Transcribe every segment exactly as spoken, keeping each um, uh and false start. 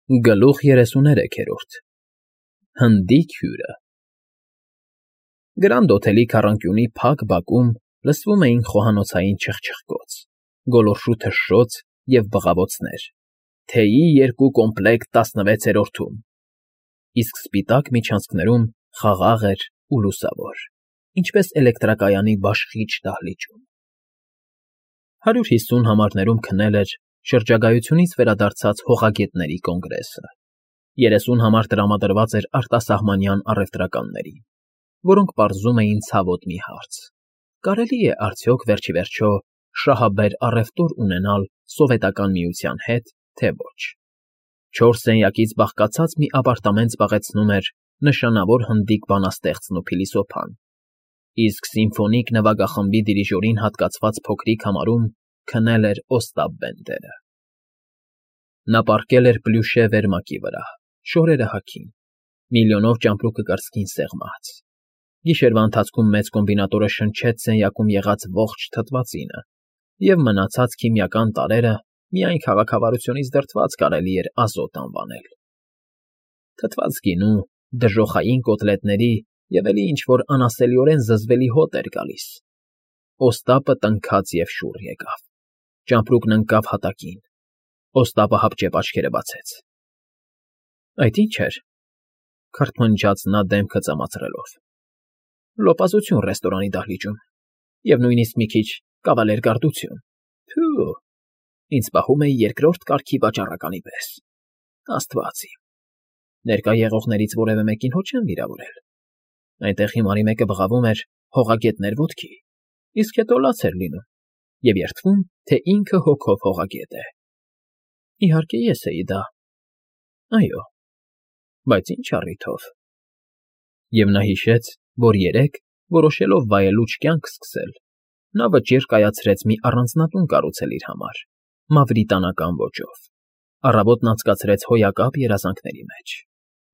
Գլուխ երեսուներեքերորդ Հնդիկ հյուրը Գրանդ օթելի քառանկյունի փակ բակում լսվում էին խոհանոցային չխչխկոց, գոլորշու թշշոց և բղավոցներ, թեյի երկու կոմպլեկտ տասնվեցերորդում, իսկ սպիտակ միջանցքներում խաղաղ էր ու լուսավոր, ինչպես էլեկտրակայանի բաշխիչ դահլիճում։ Հարյուր հիսուն համարներում քնել էր շրջագայությունից վերադարձած հողագետների կոնգրեսը, երեսուն համար տրամադրված էր արտասահմանյան առևտրականներին, որոնք պարզում էին ցավոտ մի հարց. կարելի է արդյոք վերջիվերջո շահաբեր առևտուր ունենալ Սովետական Միության հետ, թե ոչ։ Չորս սենյակից բաղկացած մի ապարտամент զբաղեցնում էր նշանավոր հնդիկ բանաստեղծն ու փիլիսոփան, իսկ սիմֆոնիկ նվագախմբի դիրիժորին հատկացված փոքրիկ համարում քնել էր Օստապ Բենդերը։ Նա պառկել էր պլյուշե վերմակի վրա, շորերը հագին, միլիոնով ճամպրուկը կրծքին սեղմած։ Գիշերվա ընթացքում մեծ կոմբինատորը շնչեց սենյակում եղած ողջ թթվածինը, և մնացած քիմիական տարրերը միայն քաղաքավարությունից դրդված կարելի էր ազոտ անվանել։ Թթված գինու, դժոխային կոտլետների և էլի ինչ֊որ անասելիորեն զզվելի հոտ էր գալիս։ Օստապը տնքաց և շուռ եկավ, ճամպրուկն ընկավ հատակին, Օստապը հապճեպ աչքերը բացեց։ ֊ Այդ ի՞նչ էր,֊ քրթմնջաց նա դեմքը ծամացրելով։ ֊ Լոպազություն ռեստորանի դահլիճում և նույնիսկ մի քիչ կավալերգարդություն, թո՛ւ, ինձ պահում էի երկրորդ կարգի վաճառականի պես, աստված իմ, ներկա եղողներից որևէ մեկին հո չեմ վիրավորել, այնտեղ հիմարի մեկը բղավում էր հողագետներ ոտքի, իսկ հետո լաց էր լինում և երդվում, թե ինքը հոգով հողագետ է։ Իհարկե ես էի դա, այո, բայց ինչ առիթով։ Եվ նա հիշեց, որ երեկ, որոշելով վայելուչ կյանք սկսել, նա վճիռ կայացրեց մի առանձնատուն կառուցել իր համար, մավրիտանական ոճով, առավոտն անցկացրեց հոյակապ երազանքների մեջ։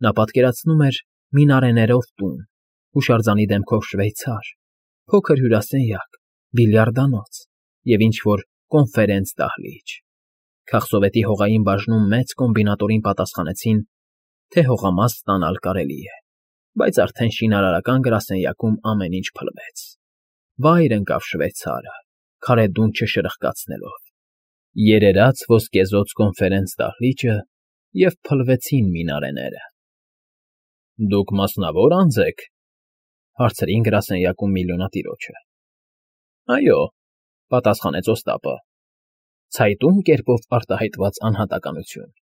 Նա պատկերացնում էր մինարեներով տուն, հուշարձանի դեմքով շվեյցար, փոքր հյուրասենյակ, բիլիարդանոց և ինչ֊որ կոնֆերենց֊դահլիճ։ Քաղսովետի հողային բաժնում մեծ կոմբինատորին պատասխանեցին, թե հողամաս ստանալ կարելի է, բայց արդեն շինարարական գրասենյակում ամեն ինչ փլվեց։ Վայր ընկավ շվեյցարը, քարե դունչը շրխկացնելով, երերաց ոսկեզօծ կոնֆերենց֊դահլիճը և փլվեցին մինարեները։ ֊ Դուք մասնավոր անձ եք,֊ հարցրին գրասենյակում միլիոնատիրոջը։ ֊ Այո,֊ պատասխանեց Օստապը, ցայտուն կերպով արտահայտված անհատականություն։ ֊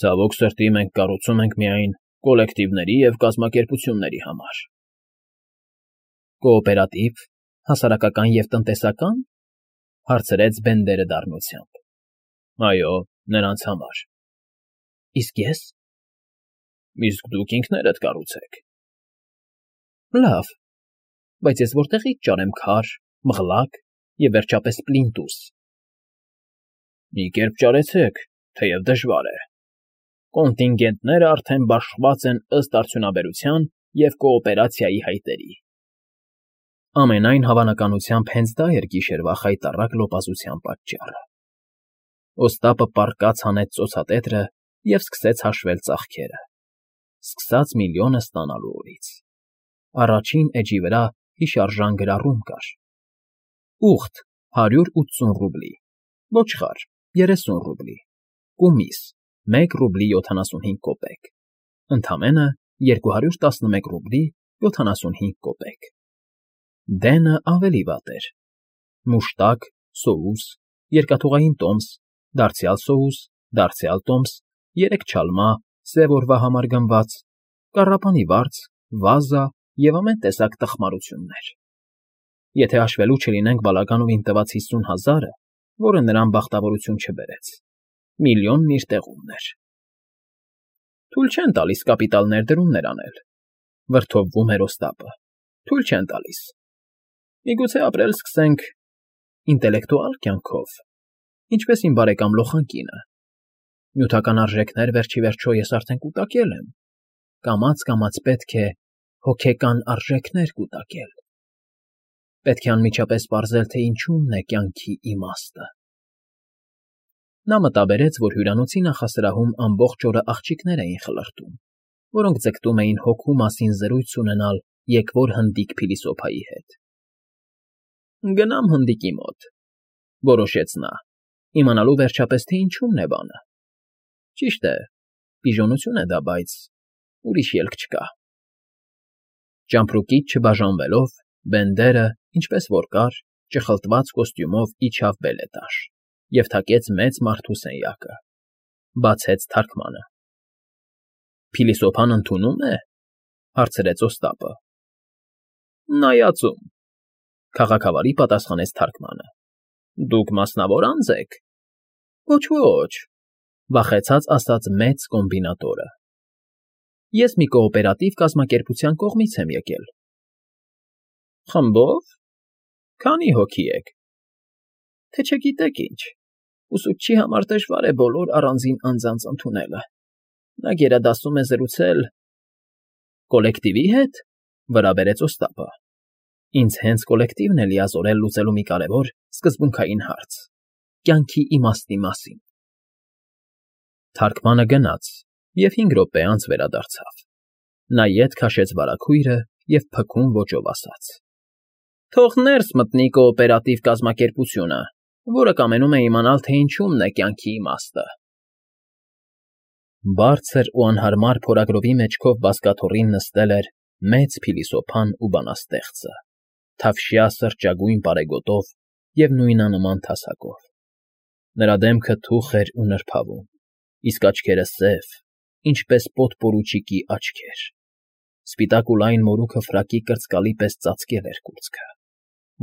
Ցավոք սրտի, մենք կառուցում ենք միայն կոլեկտիվների և կազմակերպությունների համար։ ֊ Կոոպերատիվ, հասարակական և տնտեսակա՞ն,֊ հարցրեց Բենդերը դառնությամբ։ ֊ Այո, նրանց համար։ ֊ Իսկ ես։ ֊ Իսկ դուք ինքներդ կառուցեք։ ֊ Լավ, բայց ես որտեղի՞ց ճարեմ քար, մղլակ և, վերջապես, պլինտուս։ ֊ Մի կերպ ճարեցեք, թեև դժվար է։ Կոնտինգենտները արդեն բաշխված են ըստ արդյունաբերության և կոոպերացիայի հայտերի։ Ամենայն հավանականությամբ հենց դա էր գիշերվա խայտառակ լոպազության պատճառը։ Օստապը պառկած հանեց ծոցատետրը և սկսեց հաշվել ծախքերը, սկսած միլիոնը ստանալու օրից։ Առաջին էջի վրա հիշարժան գրառում կար. ուղտ՝ հարյուր ութսուն ռուբլի, ոչխար՝ երեսուն ռուբլի, կումիս՝ մեկ ռուբլի յոթանասունհինգ կոպեկ, ընդամենը երկու հարյուր տասնմեկ ռուբլի յոթանասունհինգ կոպեկ։ Դենը ավելի վատ էր. մուշտակ, սոուս, երկաթուղային տոմս, դարձյալ սոուս, դարձյալ տոմս, երեք չալմա, սև օրվա համար գնված, կառապանի վարձ, վազա և ամեն տեսակ տխմարություններ։ Եթե հաշվելու չլինենք Բալականովին տված հիսուն հազարը, որը նրան բախտավորություն չբերեց, միլիոնն իր տեղումն էր։ Թույլ չեն տալիս կապիտալ ներդրումներ անել,֊ վրդովվում էր Օստապը,֊ թույլ չեն տալիս։ Միգուցե ապրել սկսենք ինտելեկտուալ կյանքով, ինչպես իմ բարեկամ լոխանկինը։ Նյութական արժեքներ, վերջիվերջո, ես արդեն կուտակել եմ, կամաց֊կամաց պետք է հոգեկան արժեքներ կուտակել։ Պետք է անմիջապես պարզել, թե ինչումն է կյանքի իմաստը։ Նա մտաբերեց, որ հյուրանոցի նախասրահում ամբողջ օրը աղջիկներ էին խլրտում, որոնք ձգտում էին հոգու մասին զրույց ունենալ եկվոր հնդիկ փիլիսոփայի հետ։ «Գնամ հնդիկի մոտ,֊ որոշեց նա, իմանալու վերջապես, թե ինչումն է բանը։ Ճիշտ է, պիժոնություն է դա, բայց ուրիշ ելք չկա»։ Ճամպրուկից չբաժանվելով, Բենդերը, ինչպես որ կար, ճխլտված կոստյումով իջավ բելետաժ և թակեց մեծ մարդու սենյակը, բացեց թարքմանը։ «Փիլիսոփան ընդունո՞ւմ է,֊ հարցրեց Օստապը։ «Նայածում,֊ քաղաքավարի պատասխանեց թարքմանը։ Դուք մասնավոր անձ եք։ Ոչ, վախեցած ասաց մեծ կոմբինատորը։ Ես մի կոոպերատիվ կազմակերպության կողմից եմ եկել։ Խմբո՞վ։ Քանի՞ հոգի եք։ Թե չգիտեք ինչ, ուսուցչի համար դժվար է բոլոր առանձին անձանց ընդունելը։ Նա գերադասում է զրուցել… Կոլեկտիվի հետ,֊ վրա բերեց Օստապը։ Ինձ հենց կոլեկտիվն է լիազորել լուծելու մի կարևոր սկզբունքային հարց՝ կյանքի իմաստի մասին։ Թարքմանը գնաց և հինգ րոպե անց վերադարձավ։ Նա ետ քաշեց վարագույրը և փքուն ոճով ասաց. «Թող ներս մտնի կոոպերատիվ կազմակերպությունը, որը կամենում է իմանալ, թե ինչումն է կյանքի իմաստը»։ Բարձր ու անհարմար փորագրովի մեջքով բազկաթոռին նստել էր մեծ փիլիսոփան ու բանաստեղծը, թավշյա սրճագույն պարեգոտով և նույնանման թասակով։ Նրա դեմքը թուխ էր ու նրբավում, իսկ աչքերը սև, ինչպես պոդպորուչիկի աչքեր։ Սպիտակ ու լայն մորուքը ֆրակի կրծկալի պես ծածկել էր կուրծքը։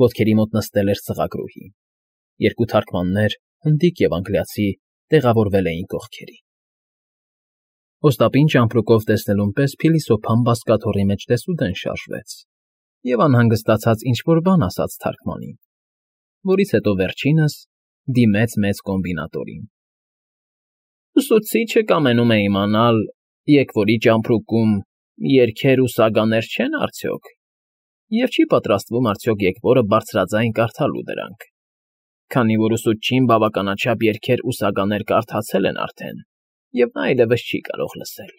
Ոտքերի մոտ նստել էր սղագրուհին։ Երկու թարքմաններ, հնդիկ և անգլիացի, տեղավորվել էին կողքերին։ Օստապին ճամպրուկով տեսնելուն պես փիլիսոփան բազկաթոռի մեջ դեսուդեն շարժվեց և անհանգստացած ինչ֊որ բան ասաց թարքմանին, որից հետո վերջինս դիմեց մեծ կոմբինատորին. «Ուսուցիչը կամենում է իմանալ, եկվորի ճամպրուկում երգեր ու սագաներ չե՞ն արդյոք, և չի պատրաստվում արդյոք եկվորը բարձրաձայն կարդալու դրանք, քանի որ ուսուցչին բավականաչափ երգեր ու սագաներ կարդացել են արդեն, և նա այլևս չի կարող լսել»։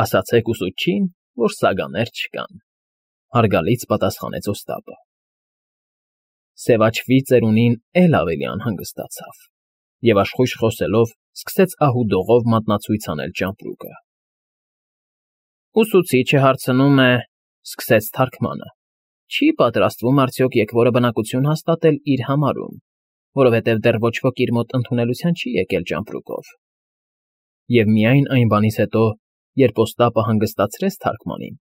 Ասացեք ուսուցչին, որ սագաներ չկան,֊ հարգալից պատասխանեց Օստապը։ Սևաչվի ծերունին էլ ավելի անհանգստացավ և աշխույժ խոսելով սկսեց ահուդողով մատնացույց անել ճամպրուկը։ «Ուսուցիչը հարցնում է,֊ սկսեց թարքմանը,֊ չի պատրաստվում արդյոք եկվորը բնակություն հաստատել իր համարում, որովհետև դեռ ոչ ոք իր մոտ ընդունելության չի եկել ճամպրուկով։ Եվ միայն այն բանից հետո, երբ Օստապը հանգստացրեց թարքմանին,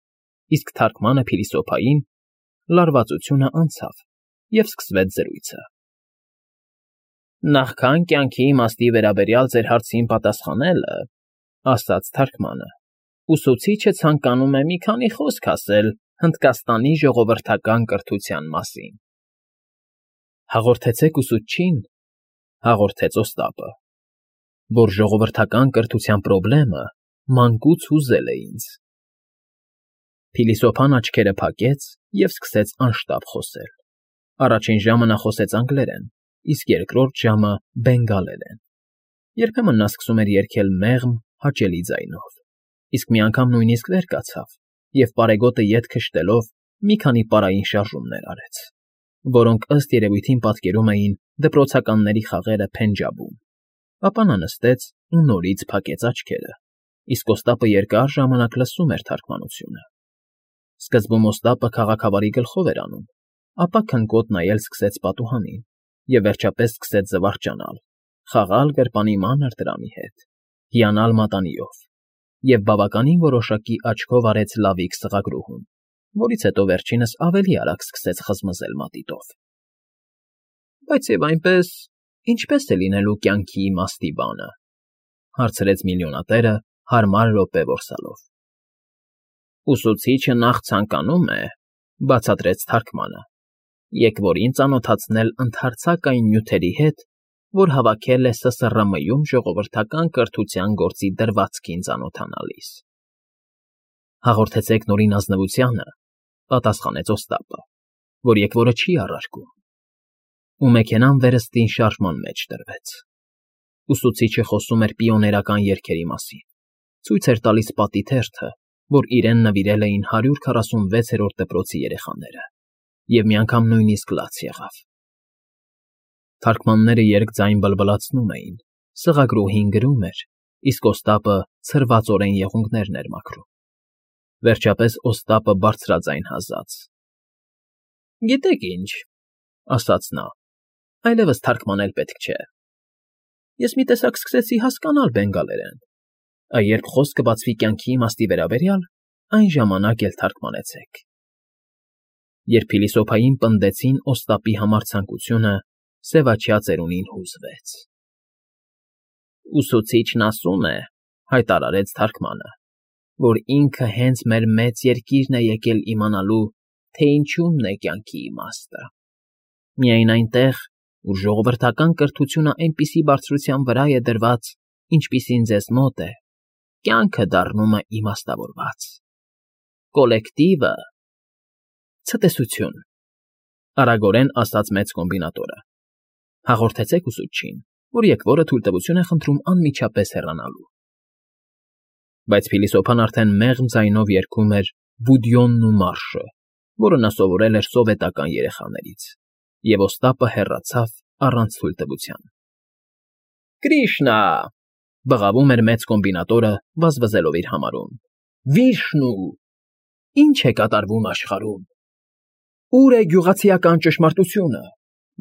իսկ թարքմանը փիլիսոփային, լարվածությունը անցավ, և սկսվեց զրույցը։ «Նախքան կյանքի իմաստի վերաբերյալ ձեր հարցին պատասխանելը,֊ ասաց թարքմանը,֊ ուսուցիչը ցանկանում է մի քանի խոսք ասել Հնդկաստանի ժողովրդական կրթության մասին»։ «Հաղորդեցեք ուսուցչին,֊ հաղորդեց Օստապը,֊ որ ժողովրդական կրթության պրոբլեմը մանկուց հուզել է ինձ»։ Փիլիսոփան աչքերը փակեց և սկսեց անշտապ խոսել։ Առաջին ժամը նա խոսեց անգլերեն, իսկ երկրորդ ժամը՝ բենգալերեն։ Երբեմն նա սկսում էր երգել մեղմ, հաճելի ձայնով, իսկ մի անգամ նույնիսկ վեր կացավ և պարեգոտը ետ քշտելով մի քանի պարային շարժումներ արեց, որոնք ըստ երևույթին պատկերում էին դպրոցականների խաղերը Փենջաբում։ Ապա նա նստեց ու նորից փակեց աչքերը, իսկ Օստապը երկար ժամանակ լսում էր թարքմանությունը։ Սկզբում Օստապը քաղաքավարի գլխով էր անում, ապա քնկոտ նայել սկսեց պատուհանին և վերջապես սկսեց զվարճանալ, խաղալ գրպանի մանր դրամի հետ, հիանալ մատանիով և բավականին որոշակի աչքով արեց լավիկ սղագրուհուն, որից հետո վերջինս ավելի արագ սկսեց խզմզել մատիտով։ «Բայց և այնպես, ինչպե՞ս է լինելու կյանքի իմաստի բանը,֊ հարցրեց միլիոնատերը հարմար րոպե որսալով։ «Ուսուցիչը նախ ցանկանում է,֊ բացատրեց թարքմանը,֊ եկվորին ծանոթացնել ընդհանրական նյութերի հետ, որ հավաքել է Ս Ս R M-ում ժողովրդական կրթության գործի դրվածքին ծանոթանալիս»։ «Հաղորդեցեք Նորին ազնվությանը,֊ պատասխանեց Օստապը,֊ որ եկվորը չի առարկում»։ ու մեքենան վերստին շարժման մեջ դրվեց։ Ուսուցիչը խոսում էր պիոներական երգերի մասին, ցույց էր տալիս պատի թերթը, որ իրեն նվիրել էին հարյուր քառասունվեցերորդ դպրոցի երեխաները, և մի անգամ նույնիսկ լաց եղավ։ Թարգմանները երկձայն բլբլացնում էին, սղագրուհին գրում էր, իսկ Օստապը ցրվածորեն եղունգներն էր մաքրում։ Վերջապես Օստապը բարձրաձայն հազաց. «Գիտեք ինչ,֊ ասաց նա,֊ այլևս թարգմանել պետք չէ։ Ես մի տեսակ սկսեցի հասկանալ բենգալերեն, երբ խոսքը բացվի կյանքի իմաստի վերաբերյալ, այն ժամանակ էլ թարգմանեցեք»։ Երբ փիլիսոփային պնդեցին Օստապի համար ցանկությունը, սևաչյա ծերունին հուզվեց։ «Ուսուցիչն ասում է,֊ հայտարարեց թարգմանը,֊ որ ինքը հենց մեր մեծ երկիրն է եկել իմանալու, թե ինչումն է կյանքի իմաստը։ Միայն այնտեղ, ուր ժողովրդական կրթությունը այնպիսի բարձրության վրա է դրված, ինչպիսին ձեզ մոտ է, կյանքը դառնում է իմաստավորված։ Կոլեկտիվը…» Ցտեսություն,֊ արագորեն ասաց մեծ կոմբինատորը։ Հաղորդեցեք ուսուցչին, որ եկվորը թույլտվություն է խնդրում անմիջապես հեռանալու։ Բայց փիլիսոփան արդեն մեղմ ձայնով երգում էր Բուդյոնն ու մարշը, որը նա սովորել էր սովետական երեխաներից, և Օստապը հեռացավ առանց թույլտվության։ «Կրիշնա!֊ բղավում էր մեծ կոմբինատորը, վազվզելով իր համարում,֊ Վիշնու… Ի՞նչ է կատարվում աշխարհում… Ո՞ւր է գյուղացիական ճշմարտությունը…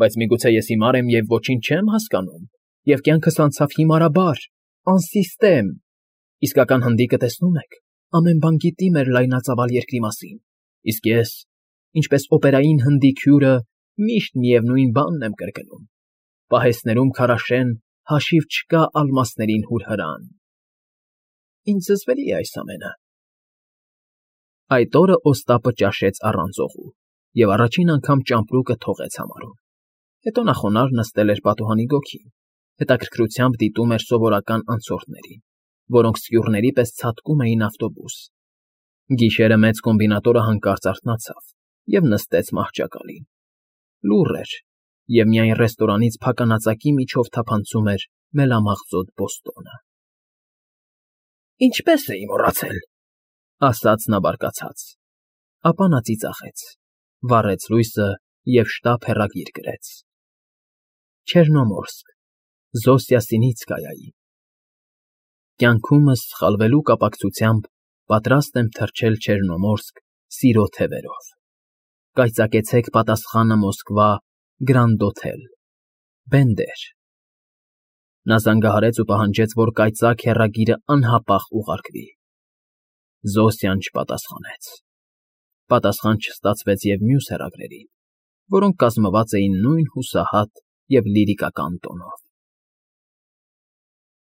Բայց միգուցե ես հիմար եմ և ոչինչ չեմ հասկանում, և կյանքս անցավ հիմարաբար, անսիստեմ… Իսկական հնդիկը, տեսնում եք, ամեն բան գիտի մեր լայնածավալ երկրի մասին, իսկ ես, ինչպես օպերային հնդիկ հյուրը, միշտ միևնույն բանն եմ կրկնում. պահեստներում քարաշեն, հաշիվ չկա ալմասներին հուրհրան… Ինձ զզվելի է այս ամենը»։ Այդ օրը Օստապը ճաշեց առանց օղու և առաջին անգամ ճամպրուկը թողեց համարում։ Հետո նա խոնարհ նստել էր պատուհանի գոգին, հետաքրքրությամբ դիտում էր սովորական անցորդներին, որոնք սկյուռների պես ցատկում էին ավտոբուս։ Գիշերը մեծ կոմբինատորը հանկարծ արթնացավ և նստեց մահճակալին։ Լուռ էր, և միայն ռեստորանից փականածակի միջով թափանցում էր մելամաղձոտ բոստոնը։ «Ինչպե՜ս էի մոռացել,֊ ասաց նա բարկացած։ Ապա նա ծիծաղեց, վառեց լույսը և շտապ հեռագիր գրեց. Չեռնոմորսկ, Զոսյա Սինիցկայայի։ Կյանքումս սխալվելու կապակցությամբ պատրաստ եմ թռչել Չեռնոմորսկ սիրո թևերով։ Կայծակեցեք պատասխանը Մոսկվա, Գրանդ Օթել, Բենդեր։ Նա զանգահարեց ու պահանջեց, որ կայծակ հեռագիրը անհապաղ ուղարկվի։ Զոսյան չպատասխանեց։ Պատասխան չստացվեց և մյուս հեռագրերին, որոնք կազմված էին նույն հուսահատ և լիրիկական տոնով։